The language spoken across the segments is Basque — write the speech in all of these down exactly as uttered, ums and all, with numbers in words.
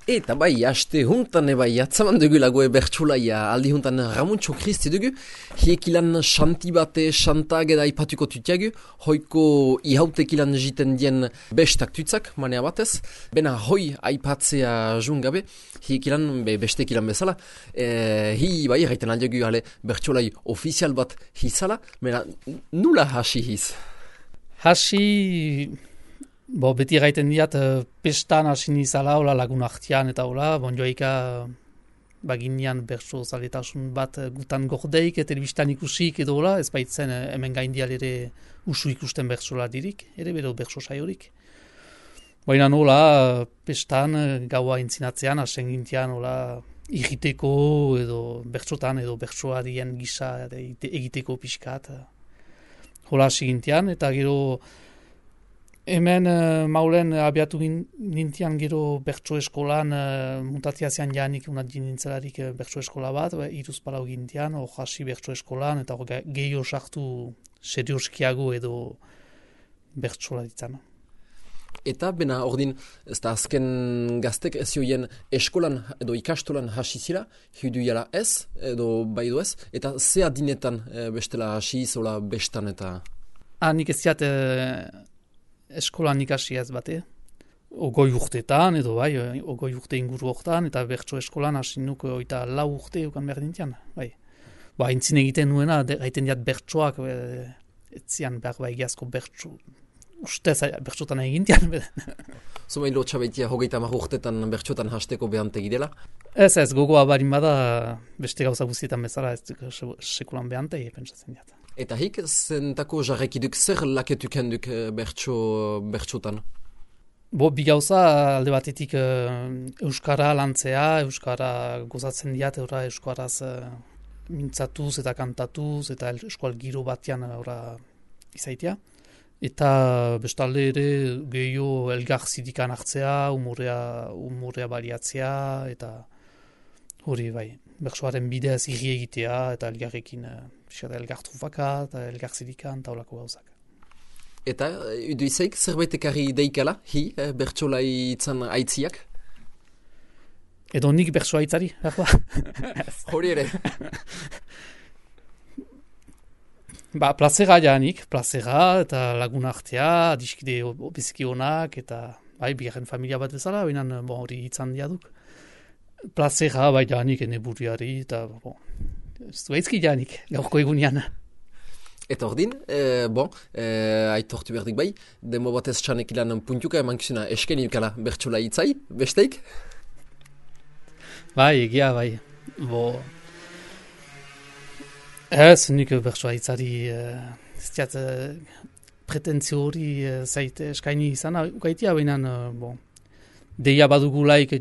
Eta bai, haste huntan ebai, atzaman dugu lagoe bertsulaia, aldi huntan Ramuntxo Kristi dugu, hiekilan xanti bate, xantag eda ipatuko tutiagu, hoiko ihautekilan jiten dien bestak tutzak, manea batez, bena hoi aipatzea jungabe, hiekilan be, bestekilan bezala, e, hi bai, gaiten aldiagu ale bertsulai ofizial bat hizala, bena nula hasi hiz? Hasi... Bo, beti gaiten diat, pestan hasi nizala, hola lagun artian eta hola, bon joaika baginean bertso zaletasun bat gutan gordeik, telebistan ikusik edo hola, ez baitzen hemen gaindial ere usu ikusten bertsola dirik, ere bero bertso saiorik. Baina hola, pestan gaua intzinatzean, hasen gintian hola, irriteko edo bertsotan edo bertsoarien gisa egiteko pixkat. Hola hasi gintian, eta gero... Hemen uh, maulen abiatu nintian gero bertso eskolan, uh, muntatia zean janik unat nintzelarik uh, bertso eskola bat, ba, iruz palau gintian, hor hasi bertso eskolan, eta hor gehiago sartu serioskiago edo bertsola ditzan. Eta bena ordin, ez da azken gaztek ez joien eskolan edo ikastolan hasi zira, hidu jala ez, edo baido ez, eta ze adinetan e, bestela hasi zola bestan eta... Ah, nik ez ziat... Uh, eskolan ikasi ez bate, ogoi urtetan, edo bai, ogoi urte inguru hortan, eta bertso eskolan hasi nuk oita lau urte eukan behar dintian, bai. Ba, entzin egiten nuena, gaiten diat bertsoak, e, etzian behar bai egiazko bertso, ustez bertsotan egintian. Zuma hilo txabaitia hogeita mar urtetan bertsotan hasteko behantegi dela? Ez ez, gogoa barin bada, beste gauza guztietan bezala, ez duk sekulan behantegi, pentsatzen diat. Eta hik zentako jarrekiduk zer laketuk henduk bertso, bertsotan? Bo, bi gauza alde batetik uh, Euskara lantzea, Euskara gozatzen diat, eura Euskaraz uh, mintzatuz eta kantatuz, eta eskual giro batean eura izaitia. Eta bestalde ere gehiago elgar zidikan hartzea, umorea, umorea baliatzea, eta hori bai, bertsoaren bidez irri egitea, eta elgarrekin uh, elgar trufaka, eta elgar zidikan, eta holako gauzak. Eta, edu izaik, zerbait ekarri deikala, hi, eh, bertsolai itzan aitziak? Edo nik bertsoa aitzari, behar hori ere. Ba, plazera janik, plazera, eta lagun artea, diskide biziki honak, eta bai, bigarren familia bat bezala, baina bon, hori itzan diaduk. Plazera, bai, janik, ene buriari, eta bon, ez du aizki janik, gaurko egunean. Eta ordin, e, bon, e, aitortu berdik bai, demo batez txanek ilan puntuka eman kisuna esken ikala bertsola itzai, besteik? Bai, egia, bai. Bo, ez, nik bertsola itzari, ez diat, pretentzio hori zaite eskaini izan, ukaitia behinan, bon, deia badugulaik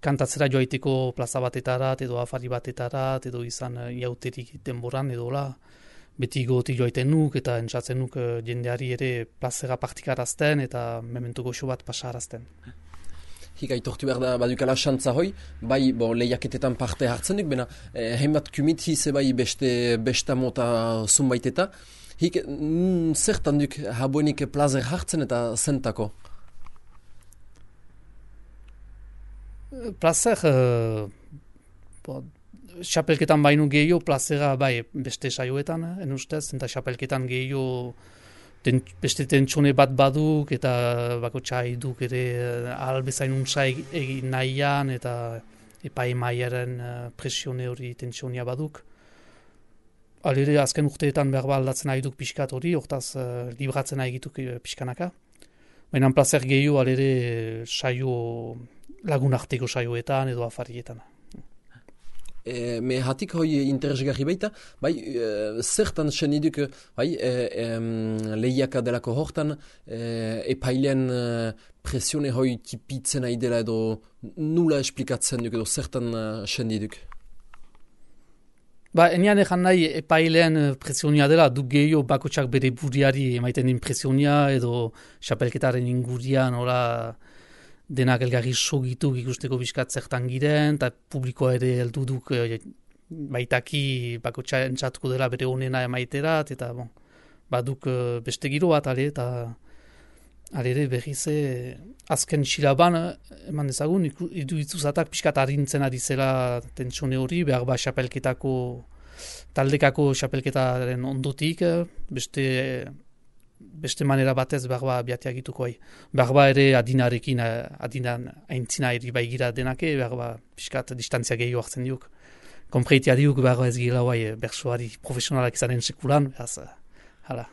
kantatzera joaiteko plaza batetarat, edo afari batetarat, edo izan iauterik denboran, edo la, beti goti joaiten nuk, eta entzatzen nuk jendeari ere plazera partikarazten, eta memento goxo bat pasarazten. Hik aitortu behar da badukala xantza hoi, bai bo, lehiaketetan parte hartzen duk, bena eh, heimbat kumit hize bai beste besta mota zunbaiteta. Hik mm, zertan duk habuenik plazer hartzen eta zentako? Plazer, uh, bo, xapelketan bainu gehiago, plazera bai beste saioetan, en ustez, eta xapelketan gehiago ten, beste tentsone bat baduk, eta bako txai duk ere albezain untsa egin nahian, eta epai maiaren presione hori tentsionia baduk. Alere, azken urteetan behar aldatzen nahi duk pixkat hori, hortaz uh, libratzen nahi gituk pixkanaka. Baina plazer gehiago alere saio lagun arteko saioetan edo afarietan. E, me hatik hoi interesgarri baita, bai, e, zertan sen iduk, bai, e, e, lehiaka delako hortan, e, epailean e, presione hoi tipitzen nahi dela edo nula esplikatzen duk edo zertan e, sen iduk? Ba, enian egan nahi epailean presionia dela, du gehiago bakotsak bere buriari emaiten din presionia edo xapelketaren ingurian, ora... denak elgarri sogituk ikusteko bizkat zertan giren, eta publikoa ere helduduk e, baitaki bakotxa entzatuko dela bere honena emaiterat, eta bon, baduk e, beste giro bat, ale, eta alere berriz azken silaban, eman dezagun, iduitzuzatak pixkat harintzen ari zela tentsione hori, behar ba xapelketako, taldekako xapelketaren ondotik, beste, beste manera batez behar ba biateak ituko hai. Behar ba ere adinarekin, adinan aintzina eri baigira denake, behar ba pixkat distantzia gehiago hartzen diuk. Konpreitia diuk behar ba ez gila bai bersuari profesionalak izanen sekulan, behaz, hala.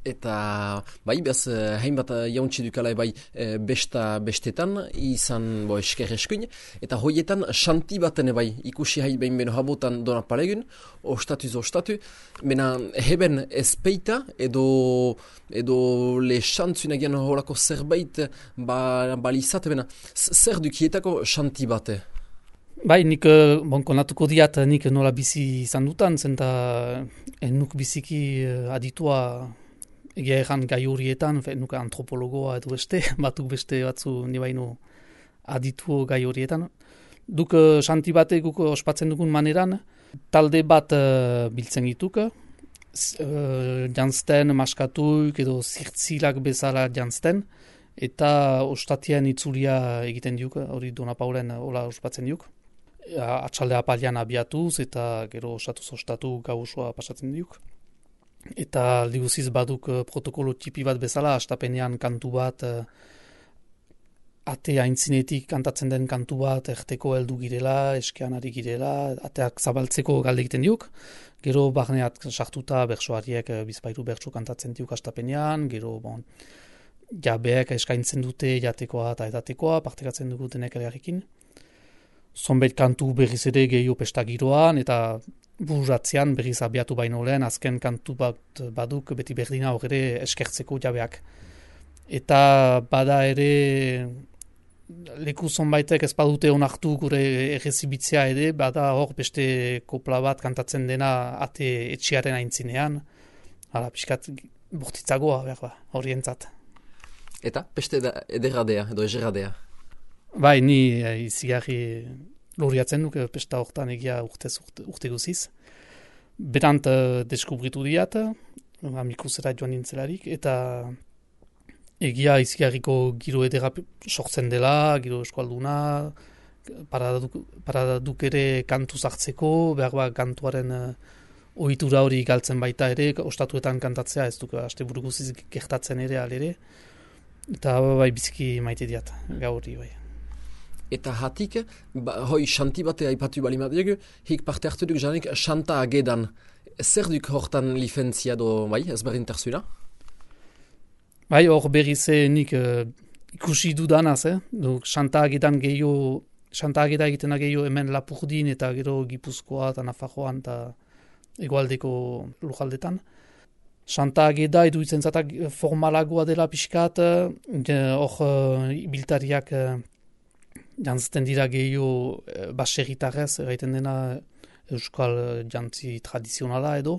Eta bai, behaz, hainbat jauntzi dukala bai e, besta bestetan, izan bo esker eskuin, eta hoietan xanti baten bai, ikusi hai behin beno habotan dona palegun, ostatuz ostatu, mena heben ezpeita edo, edo le xantzunagian horako zerbait ba, balizat, mena zer dukietako xanti bate? Bai, nik bon, konatuko diat nik nola bizi izan dutan, zenta enuk biziki aditua egia erran gai horietan, nuka antropologoa edo beste, batuk beste batzu nibaino aditu gai horietan. Duk xanti bate guk ospatzen dugun maneran, talde bat uh, biltzen gituk, uh, jantzten, maskatuik edo zirtzilak bezala jantzten, eta ostatian itzulia egiten diuk, hori Dona Paulen hola ospatzen diuk. Atxalde apalian abiatuz eta gero ostatuz ostatu gau osoa pasatzen diuk. Eta aldi guziz baduk uh, protokolo tipi bat bezala, astapenean kantu bat, uh, ate aintzinetik kantatzen den kantu bat, erteko heldu girela, eskean ari girela, ateak zabaltzeko galde egiten diuk. Gero barneat sartuta bertsoariek uh, bizpairu bertso kantatzen diuk astapenean, gero bon, jabeek eskaintzen dute jatekoa eta edatekoa, partekatzen dugu denek elgarrekin. Zonbait kantu berriz ere gehiago pesta giroan, eta buratzean berriz abiatu baino lehen, azken kantu bat baduk beti berdina hor ere eskertzeko jabeak. Eta bada ere leku zonbaitek ez badute onartu gure errezibitzea ere, bada hor beste kopla bat kantatzen dena ate etxearen aintzinean, hala pixkat bortitzagoa behar ba, horientzat. Eta beste ederradea edo egerradea? Bai, ni e, izigarri loriatzen duk pesta hortan egia urtez urte, urte guziz. Berant uh, deskubritu diat, amikusera joan nintzelarik, eta egia izigarriko giro edera sortzen dela, giro eskualduna, paradaduk, paradaduk ere kantu zartzeko, behar ba kantuaren uh, ohitura hori galtzen baita ere, ostatuetan kantatzea ez duk asteburu guziz gertatzen ere alere, eta bai biziki maite diat, gauri bai. Eta hatik, ba, hoi xanti batea aipatu bali madiegu, hik parte hartu duk janik xanta agedan. Zer duk hortan lifentzia do, bai, ez berdin terzuela? Bai, hor berriz nik uh, ikusi dudanaz, eh? Xanta agedan gehiago, xanta ageda egiten gehiago hemen Lapurdin eta gero Gipuzkoa eta Nafarroan eta egoaldeko lujaldetan. Xanta ageda iduitzen zatak formalagoa dela pixkat, hor uh, biltariak uh, jantzten dira gehiago e, baserritarrez, erraiten dena euskal jantzi tradizionala edo.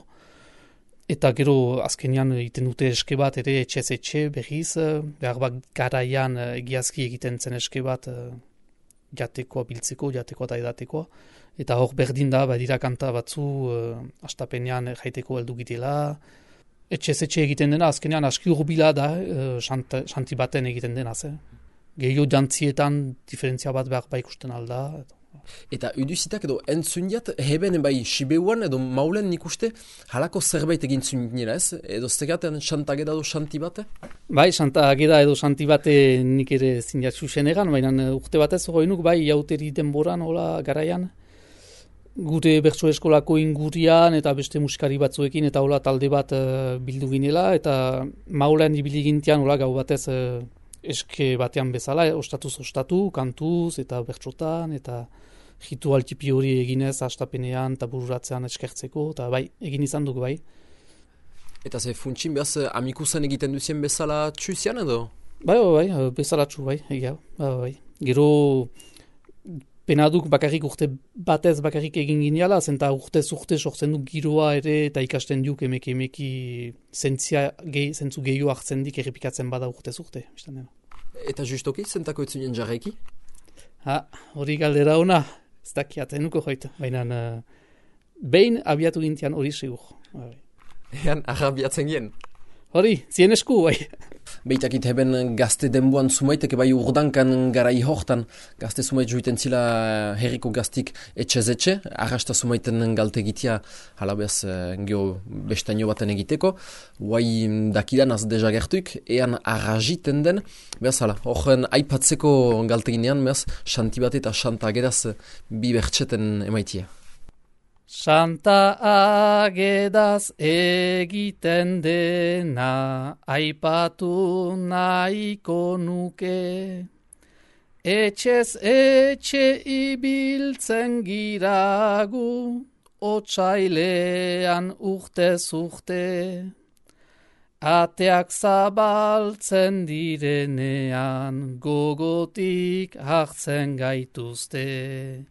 Eta gero azkenean egiten dute eske bat ere etxez etxe berriz, behar bat garaian egiazki egiten zen eske bat jatekoa biltzeko, jatekoa eta edatekoa. Eta hor berdin da, badira kanta batzu astapenean jaiteko heldu gitela. Etxez etxe egiten dena, azkenean aski urbila da, xanti xant baten egiten dena, ze. Gehiago jantzietan diferentzia bat behar ba ikusten alda. Eta uduzitak edo entzundiat, heben bai Sibeuan edo Maulen nik uste halako zerbait egin zunginera ez? Edo zegaten xantageda edo xanti bate? Bai, xantageda edo xanti bate nik ere zinjatzu egan, baina urte batez hori bai jauteri denboran, hola garaian. Gure bertso eskolako ingurian eta beste musikari batzuekin eta hola talde bat uh, bildu ginela, eta Maulen ibili gintian hola gau batez uh, eske batean bezala, eh, ostatuz ostatu, kantuz eta bertsotan, eta ritual tipi hori eginez astapenean eta bururatzean eskertzeko, eta bai, egin izan duk bai. Eta ze funtsin behaz amikusen egiten duzien bezala txuzian edo? Bai, bai, bai, bezala txu bai, egia, bai, bai. Gero penaduk bakarrik urte batez bakarrik egin gineala, zenta urtez urte sortzen duk giroa ere eta ikasten duk emeki emeki zentzia gehi, zentzu gehiago hartzen dik errepikatzen bada urtez urte. Eta justoki, zentako etzunien jarreki? Ha, hori galdera ona, ez dakiaten nuko joit, baina uh, behin abiatu gintian hori segur. Ean, arra abiatzen gien? Hori, zien esku, bai. Beitakit heben gazte denboan zumaitek, bai urdankan garai hortan, gazte zumait juiten zila herriko gaztik etxez-etxe, arrasta zumaiten galtegitia, hala behaz, geho bestaino baten egiteko, guai dakidan az deja gertuik, ean arraziten den, behaz, hala, horren aipatzeko galteginean, behaz, xanti bat eta xanta agedaz bi bertxeten emaitia. Santa agedaz egiten dena aipatu nahiko nuke. Etxez etxe ibiltzen giragu, otsailean urtez urte. Ateak zabaltzen direnean, gogotik hartzen gaituzte.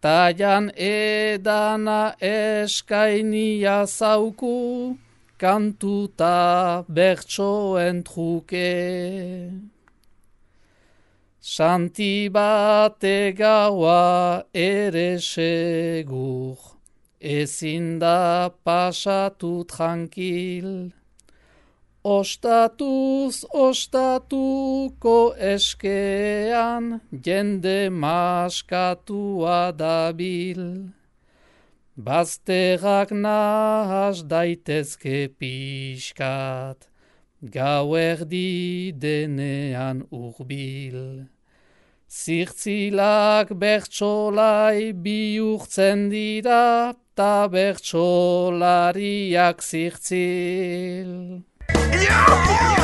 Taian edana eskainia zauku, kantuta bertsoen truke. Santi bate gaua ere segur, ezin da pasatu tranquil. Ostatuz, ostatuko eskean, jende maskatua dabil. Bazterrak nahas daitezke pixkat, gauerdi denean urbil. Zirtzilak bertsolai bihurtzen dira, ta bertsolariak zirtzil. Yo!